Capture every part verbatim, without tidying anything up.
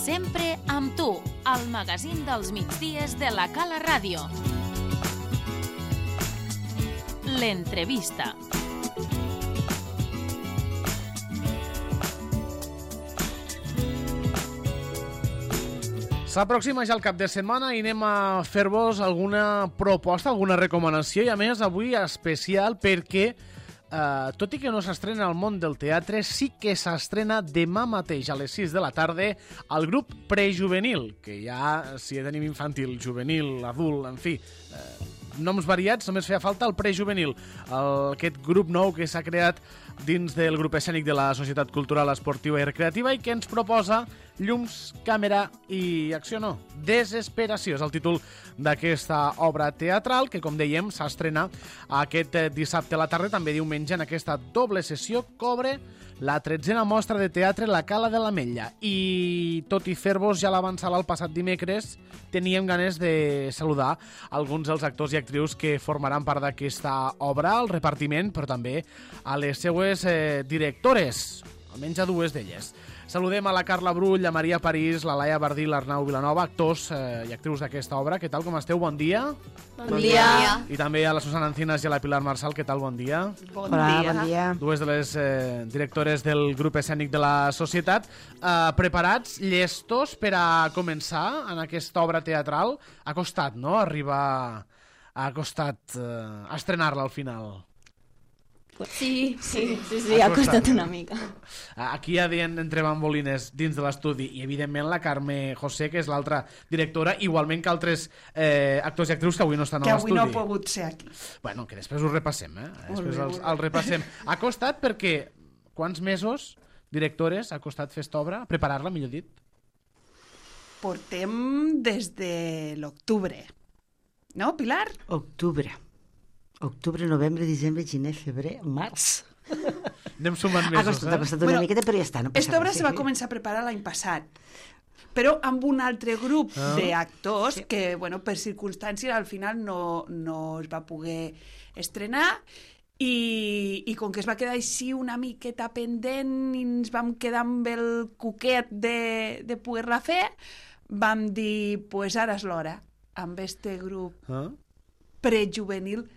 Sempre amb tu, al magazín dels migdies de la Cala Ràdio. L'entrevista. S'aproxima ja el cap de setmana i anem a fer-vos alguna proposta, alguna recomanació, i a més avui especial perquè, eh, tot i que no s'estrena al món del teatre, sí que s'estrena demà mateix a les sis de la tarda el grup prejuvenil, que ja, si tenim infantil, juvenil, adult, en fi, eh, noms variats, només feia falta el prejuvenil, el, aquest grup nou que s'ha creat dins del grup escènic de la Societat Cultural Esportiva i Recreativa i que ens proposa llums, càmera i acció no, desesperació. És el títol d'aquesta obra teatral que, com dèiem, s'estrena aquest dissabte a la tarda, també diumenge, en aquesta doble sessió que obre la tretzena mostra de teatre La Cala de l'Ametlla. I tot i fer-vos ja l'avançada el passat dimecres, teníem ganes de saludar alguns dels actors i actrius que formaran part d'aquesta obra, al repartiment, però també a les seues eh, directores, almenys a dues d'elles. Saludem a la Carla Brull, a Maria París, la Laia Bardí, l'Arnau Vilanova, actors eh, i actrius d'aquesta obra. Què tal, com esteu? Bon dia. Bon, bon dia. dia. I també a la Susana Encinas i a la Pilar Marçal. Què tal? Bon dia. Bon Hola, dia. Bon dia. Dues de les eh, directores del grup escènic de la societat. Eh, preparats, llestos per a començar en aquesta obra teatral? Ha costat, no?, arribar... Ha costat eh, estrenar-la al final. Sí, sí, sí, sí, ha costat una mica. Aquí hi ha entre bambolines dins de l'estudi i evidentment la Carme José, que és l'altra directora, igualment que altres eh, actors i actrius que avui no estan a l'estudi. Que avui no ha pogut ser aquí. Bueno, que després ho repassem, eh? Després els, els repassem. Ha costat perquè quants mesos, directores, ha costat fer esta obra? Preparar-la, millor dit? Portem des de l'octubre. No, Pilar? Octubre. Octubre, novembre, desembre, gener, febrer, març. Anem sumant mesos, ha costat, eh? Ha costat una bueno, miqueta, però ja està. No esta obra se va començar a preparar l'any passat, però amb un altre grup ah. d'actors sí. que, bueno, per circumstàncies al final no, no es va poder estrenar i, i com que es va quedar així una miqueta pendent i ens vam quedar amb el cuquet de, de poder-la fer, vam dir, pues ara és l'hora, amb este grup ah. prejuvenil,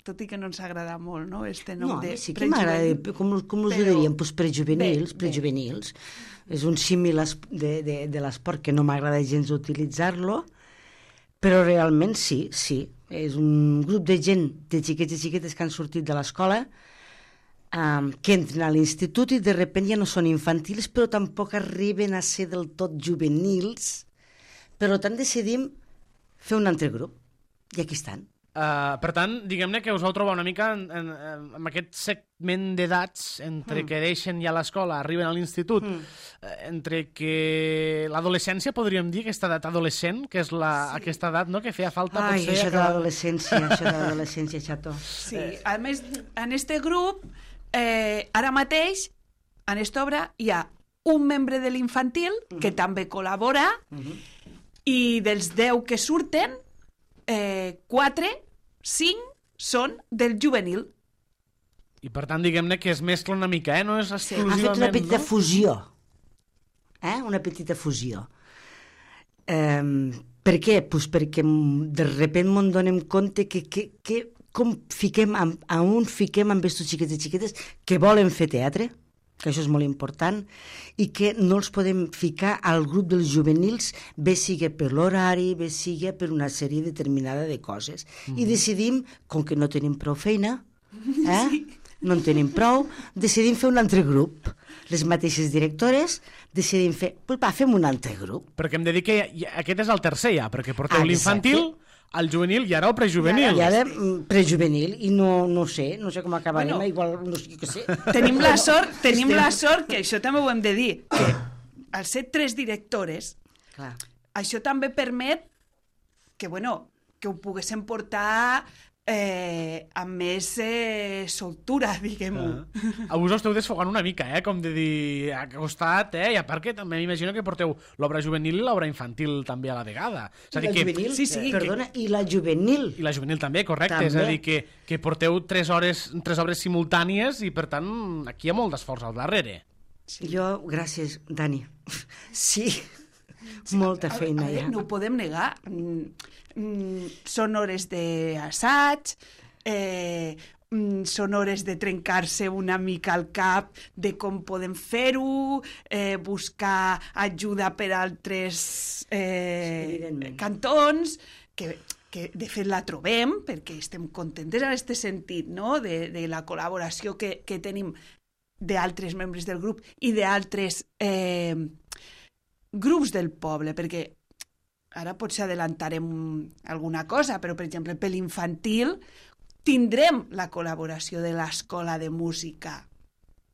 tot i que no ens agrada molt, no?, este nom no, de sí que m'agrada, com, com us ho diríem, pues prejuvenils, bé, prejuvenils. Bé. És un símil de, de, de l'esport que no m'agrada gens utilitzar-lo, però realment sí, sí. És un grup de gent, de xiquets i xiquetes que han sortit de l'escola, um, que entren a l'institut i de repent ja no són infantils, però tampoc arriben a ser del tot juvenils. Per tant, decidim fer un altre grup. I aquí estan. Uh, per tant, diguem-ne que us vau trobar una mica en, en, en aquest segment d'edats entre mm. que deixen ja l'escola, arriben a l'institut, mm. uh, entre que l'adolescència, podríem dir, aquesta edat adolescent, que és la, sí. aquesta edat, no?, que feia falta... Ai, potser això que... de l'adolescència, això de l'adolescència, xato. Sí, a més, en este grup, eh, ara mateix, en esta obra, hi ha un membre de l'infantil, mm-hmm. que també col·labora, mm-hmm. i dels deu que surten, eh, quatre, cinc són del juvenil. I per tant, diguem-ne que es mescla una mica, eh? No és exclusivament... Ha fet una petita no? fusió. Eh? Una petita fusió. Eh, per què? Pues perquè de repent m'en donem compte que, que, que com fiquem, a un fiquem amb estos xiquets i xiquetes que volen fer teatre, que això és molt important, i que no els podem ficar al grup dels juvenils, bé sigui per l'horari, bé sigui per una sèrie determinada de coses. Mm-hmm. I decidim, com que no tenim prou feina, eh? Sí. no en tenim prou, decidim fer un altre grup. Les mateixes directores decidim fer, pues va, fem un altre grup. Perquè em dedico, aquest és el tercer ja, perquè porteu ah, l'infantil, el juvenil i ara el prejuvenil. I ara, ara prejuvenil, i no, no sé, no sé com acabarem, bueno, igual no sé què sé. Tenim la sort, tenim Estem... la sort, que això també ho hem de dir, que al ser tres directores, clar, això també permet que, bueno, que ho poguéssim portar eh, amb més eh, soltura, diguem-ho. Ah. A vos esteu desfogant una mica, eh? Com de dir, ha costat, eh? I a part que també m'imagino que porteu l'obra juvenil i l'obra infantil també a la vegada. És a dir, la que, juvenil, sí, sí, eh, perdona, que, i la juvenil. I la juvenil també, correcte. També. És a dir, que, que porteu tres, hores, tres obres simultànies i, per tant, aquí hi ha molt d'esforç al darrere. Sí. Jo, gràcies, Dani. Sí, sí molta a, feina a, a ja. No ho podem negar. Mm, mm, són hores d'assaig, eh, mm, són hores de trencar-se una mica el cap de com podem fer-ho, eh, buscar ajuda per altres eh, sí, cantons, que, que de fet la trobem, perquè estem contentes en aquest sentit, no? de, de la col·laboració que, que tenim d'altres membres del grup i d'altres eh, grups del poble, perquè ara potser adelantarem alguna cosa, però per exemple per l'infantil tindrem la col·laboració de l'Escola de Música,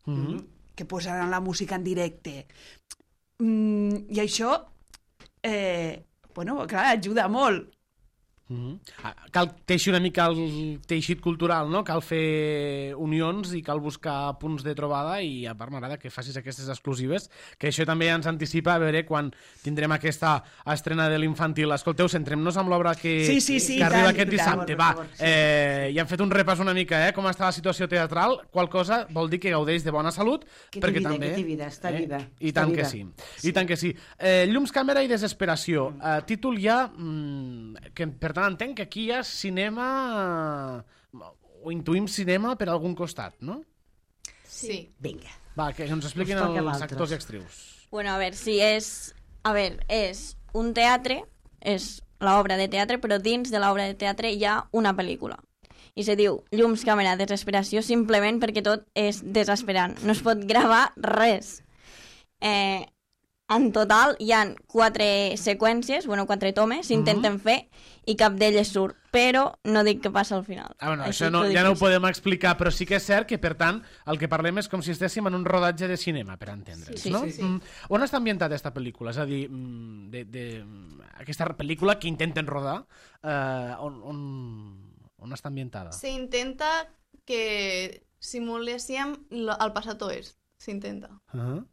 mm-hmm. que posaran la música en directe. Mm, I això, eh, bueno, clar, ajuda molt. Mm-hmm. Cal teixir una mica el teixit cultural, no? Cal fer unions i cal buscar punts de trobada, i a part m'agrada que facis aquestes exclusives, que això també ens anticipa a veure quan tindrem aquesta estrena de l'infantil. Escolteu, centrem-nos amb l'obra que, sí, sí, sí, que arriba tant, aquest dissabte. tant, Va, favor, sí. eh, ja hem fet un repàs una mica, eh? Com està la situació teatral, qual cosa vol dir que gaudeix de bona salut, que perquè vida, també... Que té vida, està eh? viva. I està tant viva. que sí. sí. I tant que sí. Eh, Llums, càmera i desesperació. Eh, títol ja... Mm, que per tant entenc que aquí hi ha cinema, o intuïm cinema per algun costat, no? Sí. Vinga. Va, que ens expliquin Us toca els l'altre. actors i actrius. Bueno, a ver, si és... A ver, és un teatre, és l'obra de teatre, però dins de l'obra de teatre hi ha una pel·lícula. I se diu Llums, càmera, desesperació, simplement perquè tot és desesperant. No es pot gravar res. Eh, en total hi ha quatre seqüències, bueno, quatre tomes, s'intenten Mhm. fer i cap d'elles surt, però no dic què passa al final. Ah, bueno, Així això no, t'ho dic ja no ho així. podem explicar, però sí que és cert que, per tant, el que parlem és com si estéssim en un rodatge de cinema, per entendre'ns, Sí, sí, no? sí, sí. Mm. On està ambientada aquesta pel·lícula? És a dir, mm, de, de, aquesta pel·lícula que intenten rodar, eh, on, on, on està ambientada? Se intenta que simuléssim lo- el passat oest. S'intenta. Uh -huh.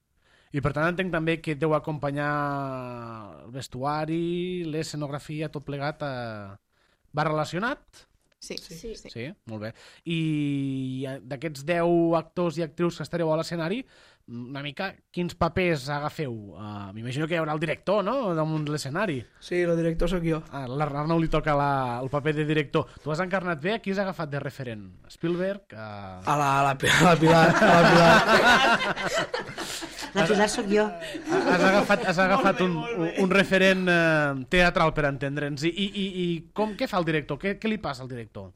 I per tant entenc també que deu acompanyar el vestuari, l'escenografia, tot plegat. Eh... Va relacionat? Sí. Sí. sí. Sí, molt bé. I d'aquests deu actors i actrius que estareu a l'escenari, una mica, quins papers agafeu? Uh, M'imagino que hi haurà el director, no?, damunt l'escenari. Sí, el director sóc jo. Ah, l'Arnau li toca la, el paper de director. Tu has encarnat bé, qui has agafat de referent? Spielberg? Uh... A la, a la, a la Pilar. A la Pilar. La Pilar sóc jo. Has agafat, has agafat un, un, un referent eh, teatral, per entendre'ns. I, i, i com, què fa el director? Què, què li passa al director?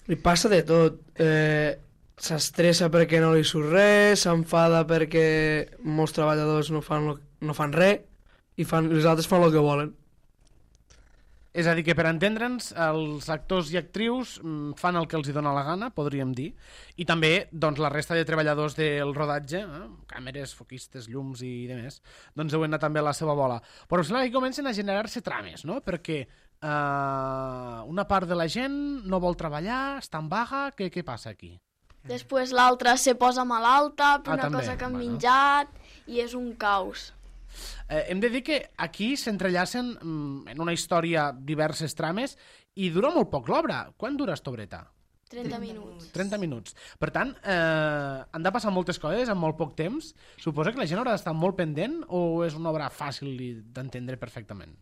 Li passa de tot. Eh, S'estressa perquè no li surt res, s'enfada perquè molts treballadors no fan, lo, no fan res i fan, els altres fan el que volen. És a dir, que per entendre'ns, els actors i actrius mm, fan el que els hi dona la gana, podríem dir, i també doncs, la resta de treballadors del rodatge, eh, càmeres, foquistes, llums i demés, doncs deuen anar també a la seva bola. Però sembla que comencen a generar-se trames, no? Perquè eh, una part de la gent no vol treballar, està en vaga, què, què passa aquí? Després l'altra se posa malalta per Ah, una també, cosa que han bueno. menjat i és un caos. Eh, hem de dir que aquí s'entrellacen mm, en una història diverses trames i dura molt poc l'obra. Quan dura esta obreta? trenta minuts. trenta minuts. Per tant, eh, han de passar moltes coses en molt poc temps. Suposa que la gent haurà d'estar molt pendent o és una obra fàcil d'entendre perfectament?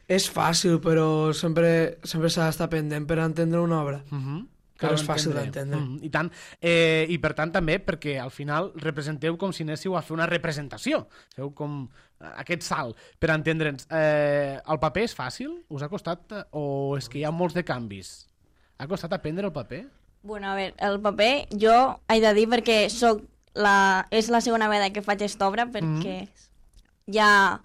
És fàcil, però sempre sempre s'ha d'estar pendent per entendre una obra. Uh -huh. Que no és fàcil d'entendre. Mm, I tant. Eh, I per tant també perquè al final representeu com si anéssiu a fer una representació. Feu com eh, aquest salt, per entendre'ns. Eh, el paper és fàcil? Us ha costat? eh, O és que hi ha molts de canvis? Ha costat aprendre el paper? Bueno, a veure, el paper jo he de dir perquè soc la, és la segona vegada que faig aquesta obra perquè ja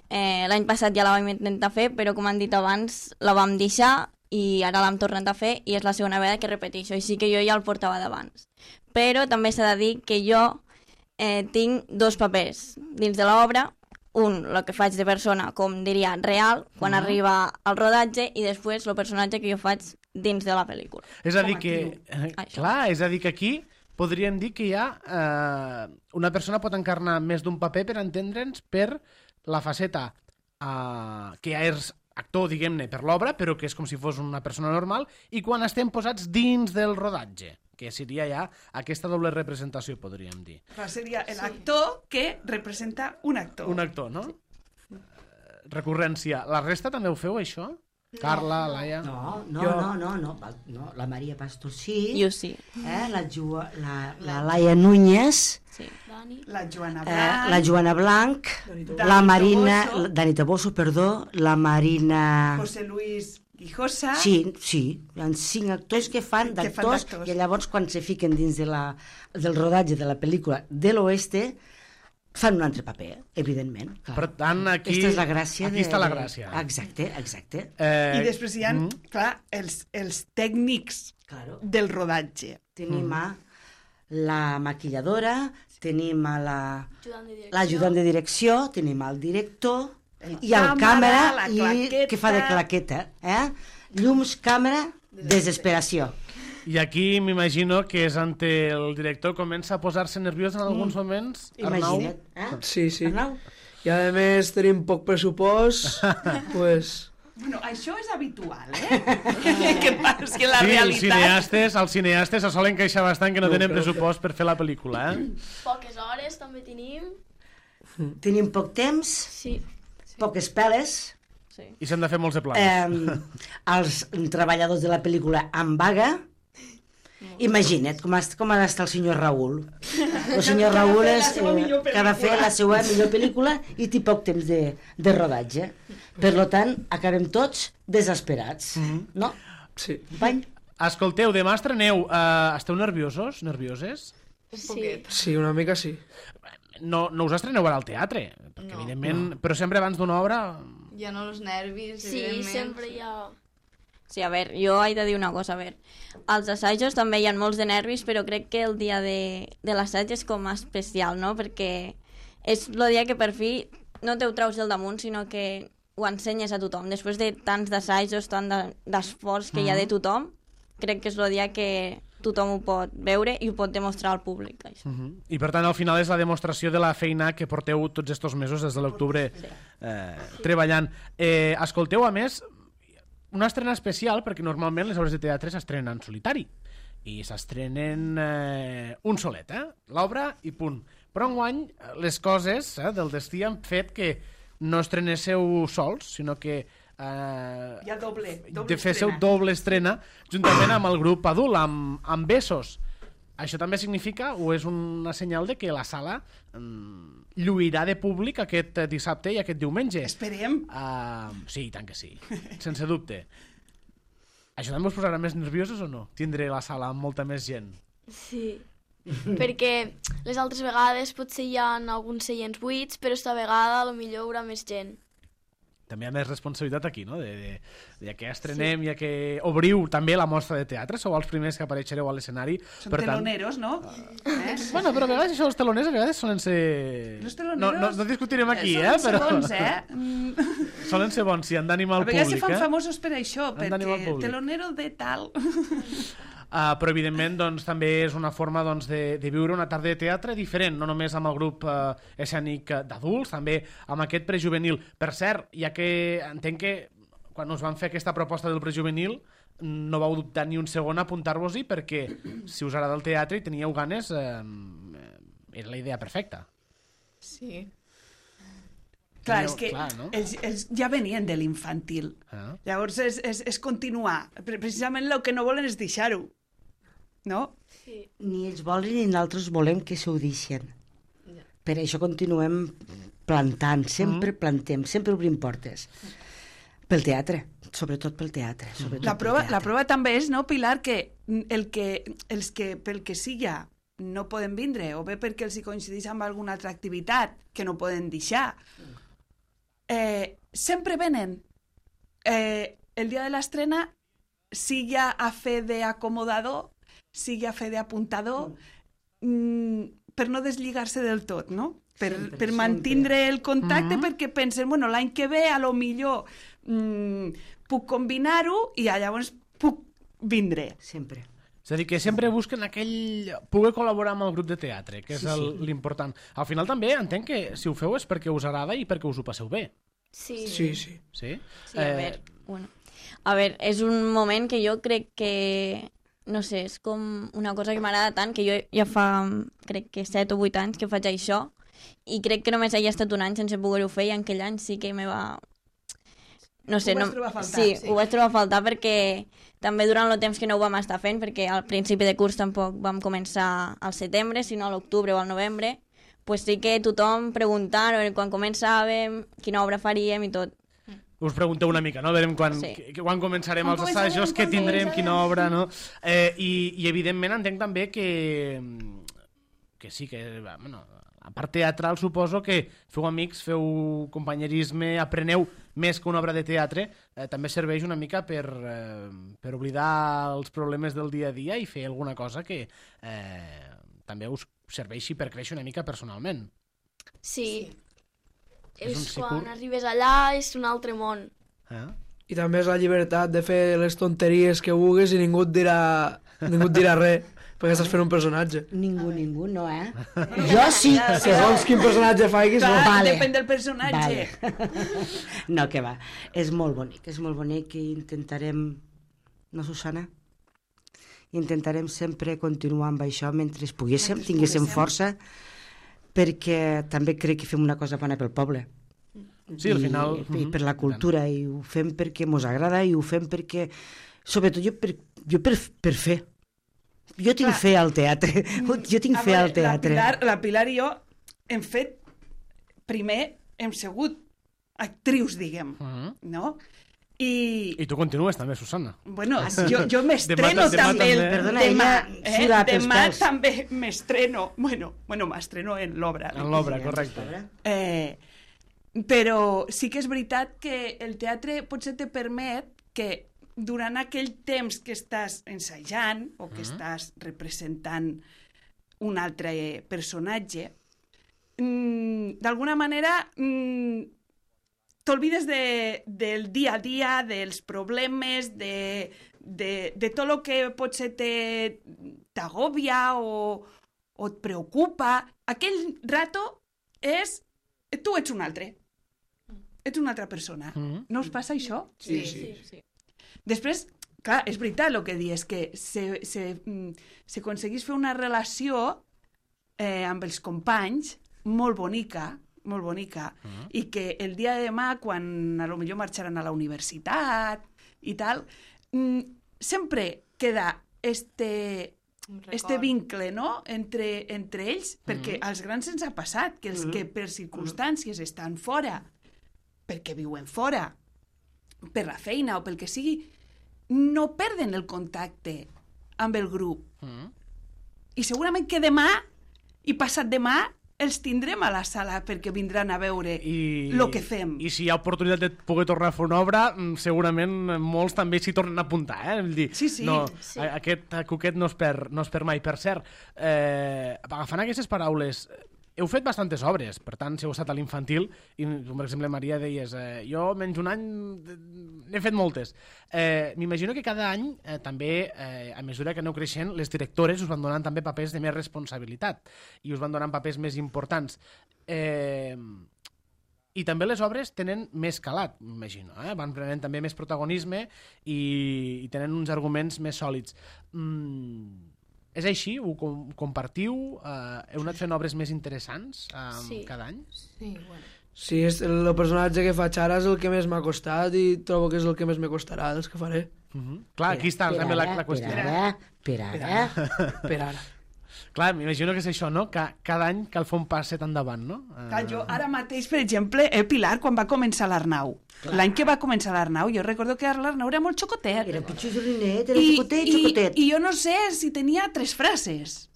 eh, l'any passat ja la vam intentar fer, però com han dit abans la vam deixar i ara l'hem tornat a fer i és la segona vegada que repeteixo, i sí que jo ja el portava d'abans. Però també s'ha de dir que jo eh, tinc dos papers dins de l'obra, un, el que faig de persona, com diria, real, quan Mhm. arriba al rodatge, i després el personatge que jo faig dins de la pel·lícula. És a dir Com a que... actriu. Eh, Això. clar, és a dir que aquí podríem dir que hi ha... Eh, una persona pot encarnar més d'un paper, per entendre'ns, per la faceta eh, que ja és actor, diguem-ne, per l'obra, però que és com si fos una persona normal, i quan estem posats dins del rodatge, que seria ja aquesta doble representació, podríem dir. Clar, seria l'actor que representa un actor. Un actor, no? Sí. Recurrència. La resta també ho feu, això? No. Carla, Laia... No, no, Jo- no, no, no, val- no, la Maria Pastor sí, Jo sí. eh, la, Ju la, la Laia Núñez, Sí. Dani. La Joana eh, Blanc, la Joana Blanc, Dani la Dani Marina, Toboso. Dani Toboso, perdó, la Marina... José Luis Guijosa. Sí, sí, hi ha cinc actors que fan Que fan d'actors d'actors. i llavors quan se fiquen dins de la, del rodatge de la pel·lícula de l'oeste fan un altre paper, evidentment. Clar. Per tant, aquí... Aquesta és la gràcia. Aquí de, està la de- gràcia. Exacte, exacte. Eh, I després hi ha, mm, clar, els, els tècnics Claro. del rodatge. Tenim a la maquilladora, tenim a la Ajudant de direcció. l'ajudant de direcció, tenim al director El i el càmera, càmera la i claqueta. que fa de claqueta. Eh? Llums, càmera, desesperació. I aquí m'imagino que és ante el director comença a posar-se nerviós en alguns moments. Arnau? Imagina't. Eh? Sí, sí. Arnau? I a més tenim poc pressupost, pues... Bueno, això és habitual, eh? que passa que la Sí, els realitat... cineastes, els cineastes se solen queixar bastant que no No, tenen però- pressupost per fer la pel·lícula, eh? Poques hores també tenim. Tenim poc temps, Sí. poques peles, Sí. I s'han de fer molts de plans. eh, els treballadors de la pel·lícula en vaga. Imagina't com, ha- com ha d'estar el senyor Raül. El senyor Que ha de Raül fer la és, seva eh, millor que ha de fer pel·lícula. la seva millor pel·lícula i té poc temps de, de rodatge. Per lo tant, acabem tots desesperats. No? Sí. Company? Escolteu, demà estreneu. Uh, esteu nerviosos? Nervioses? Un Sí. poquet. Sí, una mica sí. No, no us estreneu ara al teatre, perquè No. evidentment... Però sempre abans d'una obra... Ja no els nervis, Sí, evidentment. sempre hi ha... Sí, a veure, jo he de dir una cosa, a veure, als assajos també hi ha molts de nervis, però crec que el dia de, de l'assaig és com especial, no? Perquè és el dia que per fi no te ho treus del damunt, sinó que ho ensenyes a tothom. Després de tants d'assajos, tant de- d'esforç que hi ha de tothom, crec que és el dia que tothom ho pot veure i ho pot demostrar al públic, això. Uh -huh. I per tant, al final és la demostració de la feina que porteu tots estos mesos, des de l'octubre, eh, treballant. Eh, escolteu, a més, una estrena especial, perquè normalment les obres de teatre s'estrenen en solitari i s'estrenen eh, un solet, eh? L'obra i punt. Però enguany les coses eh, del destí han fet que no estrenéssiu sols, sinó que eh, Hi ha doble, doble de féssiu estrena. doble estrena juntament amb el grup adult, amb, amb Besos. Això també significa, o és una senyal de que la sala mm, lluirà de públic aquest eh, dissabte i aquest diumenge. Esperem. Uh, sí, i tant que sí, sense dubte. Això també us posarà més nerviosos o no? Tindré la sala amb molta més gent. Sí. Perquè les altres vegades potser hi ha alguns seients buits, però esta vegada a lo millor hi haurà més gent. També hi ha més responsabilitat aquí, no? De, de, de que estrenem, sí. Ja que obriu també la mostra de teatre, sou els primers que apareixereu a l'escenari. Són per tant... teloneros, no? Eh? Bueno, però a vegades això, els teloners a vegades solen ser... Los No, teloneros... no, no discutirem aquí, Són eh? Però... segons, eh? Mm. Solen ser bons, sí, han d'animar A el vegades se públic, fan eh? famosos per això, Han d'animar el perquè públic. telonero de tal... Uh, però evidentment doncs, també és una forma doncs, de, de viure una tarda de teatre diferent, no només amb el grup uh, escènic uh, d'adults, també amb aquest prejuvenil. Per cert, ja que entenc que quan us van fer aquesta proposta del prejuvenil no vau dubtar ni un segon a apuntar-vos-hi perquè si us agrada el teatre i teníeu ganes eh, era la idea perfecta. Sí. Clar, Teníeu- és que clar, no? ells, ells ja venien de l'infantil. Ah. Llavors és, és, és continuar. Pre- Precisament el que no volen és deixar-ho. No? Sí. Ni ells volen ni nosaltres volem que s'ho deixen. Per això continuem plantant, sempre Mm. plantem, sempre obrim portes. Pel teatre, sobretot pel teatre. Sobretot La pel prova, teatre. la prova també és, no, Pilar, que, el que els que pel que siga no poden vindre, o bé perquè els hi coincideix amb alguna altra activitat que no poden deixar, eh, sempre venen. Eh, el dia de l'estrena, sigui a fer d'acomodador, sigui a fer d'apuntador, mm, per no deslligar-se del tot, no? Per, Sempre, per sempre. mantindre el contacte, Mhm. perquè pensen, bueno, l'any que ve a lo millor mm, puc combinar-ho i llavors puc vindre. Sempre. És a dir, que sempre busquen aquell... poder col·laborar amb el grup de teatre, que és Sí, el- sí. l'important. Al final també entenc que si ho feu és perquè us agrada i perquè us ho passeu bé. Sí. Sí, sí. Sí? Sí, a veure, bueno. A veure, és un moment que jo crec que no sé, és com una cosa que m'agrada tant, que jo ja fa, crec que set o vuit anys que faig això, i crec que només hagi estat un any sense poder-ho fer, i en aquell any sí que me va... No sé, ho vas no... trobar a faltar. Sí, Sí. ho vaig trobar a faltar perquè també durant el temps que no ho vam estar fent, perquè al principi de curs tampoc vam començar al setembre, sinó a l'octubre o al novembre, pues sí que tothom preguntant quan començàvem, quina obra faríem i tot. Us pregunteu una mica, no? Verem quan, Sí. sí. quan començarem Quan els començarem, assajos, què quan tindrem, començarem. quina obra, no? Eh, i, I evidentment entenc també que, que sí, que, bueno, a part teatral suposo que feu amics, feu companyerisme, apreneu més que una obra de teatre, eh, també serveix una mica per, eh, per oblidar els problemes del dia a dia i fer alguna cosa que eh, també us serveixi per créixer una mica personalment. Sí. És un És sikur. quan arribes allà és un altre món. Eh? I també és la llibertat de fer les tonteries que vulguis i ningú et dirà, ningú et dirà res, perquè estàs fent un personatge. Ningú, ningú, no, eh? Jo sí. Segons quin personatge faiguis, no. Clar, Vale. depèn del personatge. Vale. No, que va. És molt bonic, és molt bonic i intentarem... No, Susana? Intentarem sempre continuar amb això mentre poguéssim, Mentre tinguéssim poguéssim. força, perquè també crec que fem una cosa bona pel poble. Sí, al final... I, i per la cultura, i ho fem perquè mos agrada, i ho fem perquè... Sobretot jo per, jo per, per fer. Jo tinc Clar. fe al teatre. Jo tinc A fe veure, al teatre. La Pilar, la Pilar i jo hem fet... Primer hem sigut actrius, diguem, Mhm. no? I, I tu continues també, Susana. bueno, jo, jo m'estreno Demà- demà també. el- també. Perdona, demà, ella eh? suda pels demà pèls. també m'estreno. Bueno, bueno m'estreno en l'obra. En l'obra, correcte. Eh, però sí que és veritat que el teatre potser te permet que durant aquell temps que estàs ensajant o que estàs representant un altre personatge, mm, d'alguna manera mm, t'olvides de, del dia a dia, dels problemes, de, de, de tot el que potser te- t'agòbia o, o et preocupa. Aquell rato és... Tu ets un altre. Ets una altra persona. Mhm. No us passa això? Sí, sí. sí. Després, clar, és veritat el que dius, que se, se, mm, s'aconseguís fer una relació eh, amb els companys molt bonica, molt bonica, Mhm. i que el dia de demà, quan a lo millor marxaran a la universitat i tal, mm, sempre queda este, este vincle, no?, entre, entre ells, perquè als grans ens ha passat que els que per circumstàncies estan fora, perquè viuen fora, per la feina o pel que sigui, no perden el contacte amb el grup. Mhm. I segurament que demà i passat demà els tindrem a la sala perquè vindran a veure I, el que fem. I si hi ha oportunitat de poder tornar a fer una obra, mm, segurament molts també s'hi tornen a apuntar, eh? Vull dir, Sí, sí. No, Sí. a- aquest coquet no es perd, no es perd mai. Per cert, eh, agafant aquestes paraules, heu fet bastantes obres, per tant, si heu estat a l'infantil, i per exemple, Maria, deies, eh, jo menys un any eh, n'he fet moltes. Eh, M'imagino que cada any, eh, també, eh, a mesura que aneu creixent, les directores us van donant també papers de més responsabilitat i us van donant papers més importants. Eh, I també les obres tenen més calat, m'imagino, eh? Van prenent també més protagonisme i, i tenen uns arguments més sòlids. Mm, és així? Ho com compartiu? Eh, heu anat fent obres més interessants eh, Sí. cada any? Sí, bueno. Sí, és el personatge que faig ara és el que més m'ha costat i trobo que és el que més me costarà dels que faré. Uh -huh. Clar, aquí està Per també la, ara, la qüestió. Per ara, per ara. Per ara. Clar, m'imagino que és això, no? Que cada any cal fer un passet endavant, no? Eh, Clar, jo ara mateix, per exemple, eh, Pilar, quan va començar l'Arnau, l'any que va començar l'Arnau, jo recordo que l'Arnau era molt xocotet. Era pitjorrinet, era I, xocotet, i, xocotet. I jo no sé si tenia tres frases,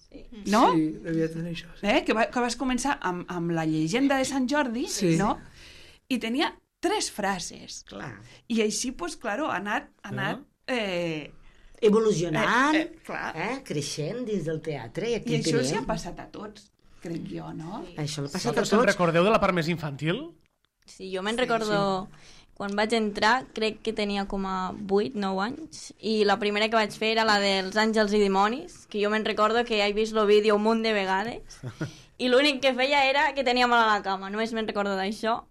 no? Sí, devia tenir això. Sí. Eh? Que, va, que vas començar amb, amb la llegenda de Sant Jordi, Sí. no? I tenia tres frases. Clar. I així, pues, claro, ha anat, ha anat eh, Evolucionant, Eh, eh, eh, clar. eh, creixent dins del teatre. I, aquí i això tenim. s'hi ha passat a tots, crec jo, no? Això l'ha passat a Vosaltres se'n tots. recordeu de la part més infantil? Sí, jo me'n recordo... Quan vaig entrar, crec que tenia com a vuit nou anys, i la primera que vaig fer era la dels Àngels i Dimonis, que jo me'n recordo que he vist el vídeo un munt de vegades, i l'únic que feia era que tenia mal a la cama, només me'n recordo d'això.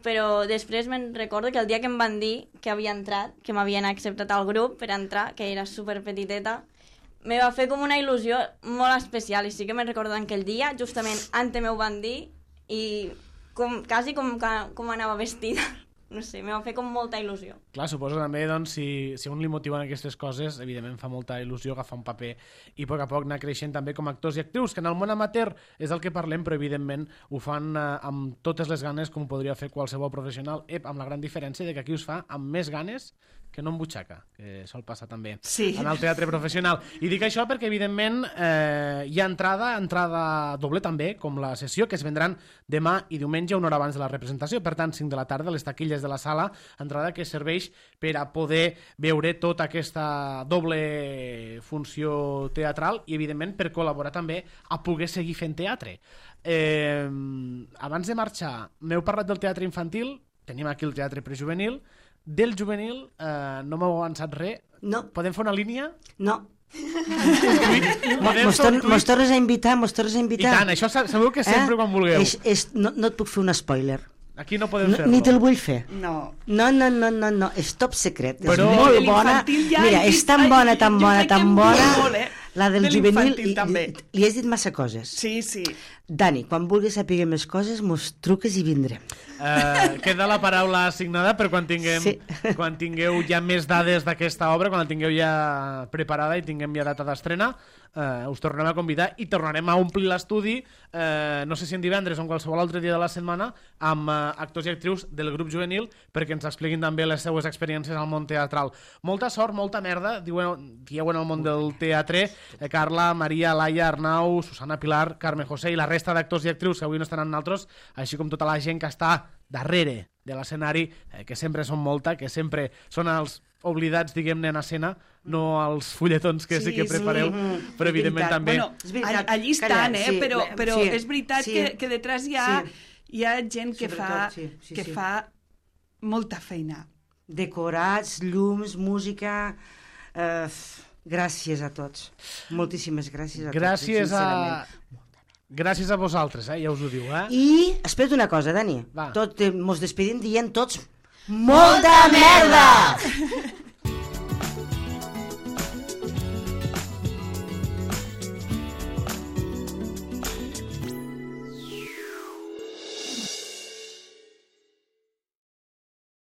però després me'n recordo que el dia que em van dir que havia entrat, que m'havien acceptat al grup per entrar, que era super petiteta, me va fer com una il·lusió molt especial, i sí que me'n recordo aquell dia, justament antes m'ho van dir, i com, quasi com, com anava vestida. No sé, me va fer com molta il·lusió. Clar, suposo també, doncs, si, si a un li motiven aquestes coses, evidentment fa molta il·lusió agafar un paper i a poc a poc anar creixent també com a actors i actrius, que en el món amateur és el que parlem, però evidentment ho fan eh, amb totes les ganes com podria fer qualsevol professional, ep, amb la gran diferència de que aquí us fa amb més ganes que no en butxaca, que sol passar també sí. en el teatre professional. I dic això perquè, evidentment, eh, hi ha entrada, entrada doble també, com la sessió, que es vendran demà i diumenge, una hora abans de la representació, per tant, cinc de la tarda, les taquilles de la sala, entrada que serveix per a poder veure tota aquesta doble funció teatral i, evidentment, per col·laborar també a poder seguir fent teatre. Eh, abans de marxar, m'heu parlat del teatre infantil, tenim aquí el teatre prejuvenil, del juvenil eh, no m'heu avançat res. No. Podem fer una línia? No. Podem Mos, tor mos tornes a invitar, mos tornes a invitar. I tant, això sabeu que sempre eh? quan vulgueu. És, és, no, no et puc fer un spoiler. Aquí no podem no, fer-lo. Ni te'l vull fer. No. No, no, no, no, no. És top secret. Però... És molt bona. Ja Mira, és tan bona, tan bona, tan bona. Molt, eh? La del de juvenil, li, també. li has dit massa coses. Sí, sí. Dani, quan vulguis saber més coses, mos truques i vindrem. Uh, queda la paraula assignada per quan tinguem sí. quan tingueu ja més dades d'aquesta obra, quan la tingueu ja preparada i tinguem ja data d'estrena, uh, us tornarem a convidar i tornarem a omplir l'estudi, uh, no sé si en divendres o en qualsevol altre dia de la setmana, amb uh, actors i actrius del grup juvenil perquè ens expliquin també les seues experiències al món teatral. Molta sort, molta merda, diuen, dieu en el món del teatre, eh, Carla, Maria, Laia, Arnau, Susana, Pilar, Carme José i la resta d'actors i actrius que avui no estan amb nosaltres, així com tota la gent que està darrere de l'escenari, eh, que sempre són molta, que sempre són els oblidats, diguem-ne, en escena, no els fulletons que sí, sí que prepareu, sí, però evidentment també... Bueno, allí estan, eh? Sí, però però sí, és veritat sí, que, que detrás hi ha, sí. hi ha gent que, fa, sí, sí, que sí. fa molta feina. Decorats, llums, música... Eh, gràcies a tots. Moltíssimes gràcies a gràcies tots. Gràcies a... Gràcies a vosaltres, eh? Ja us ho diu, eh? I, espera't una cosa, Dani. Va. Tot, eh, mos despedim dient tots... Molta merda!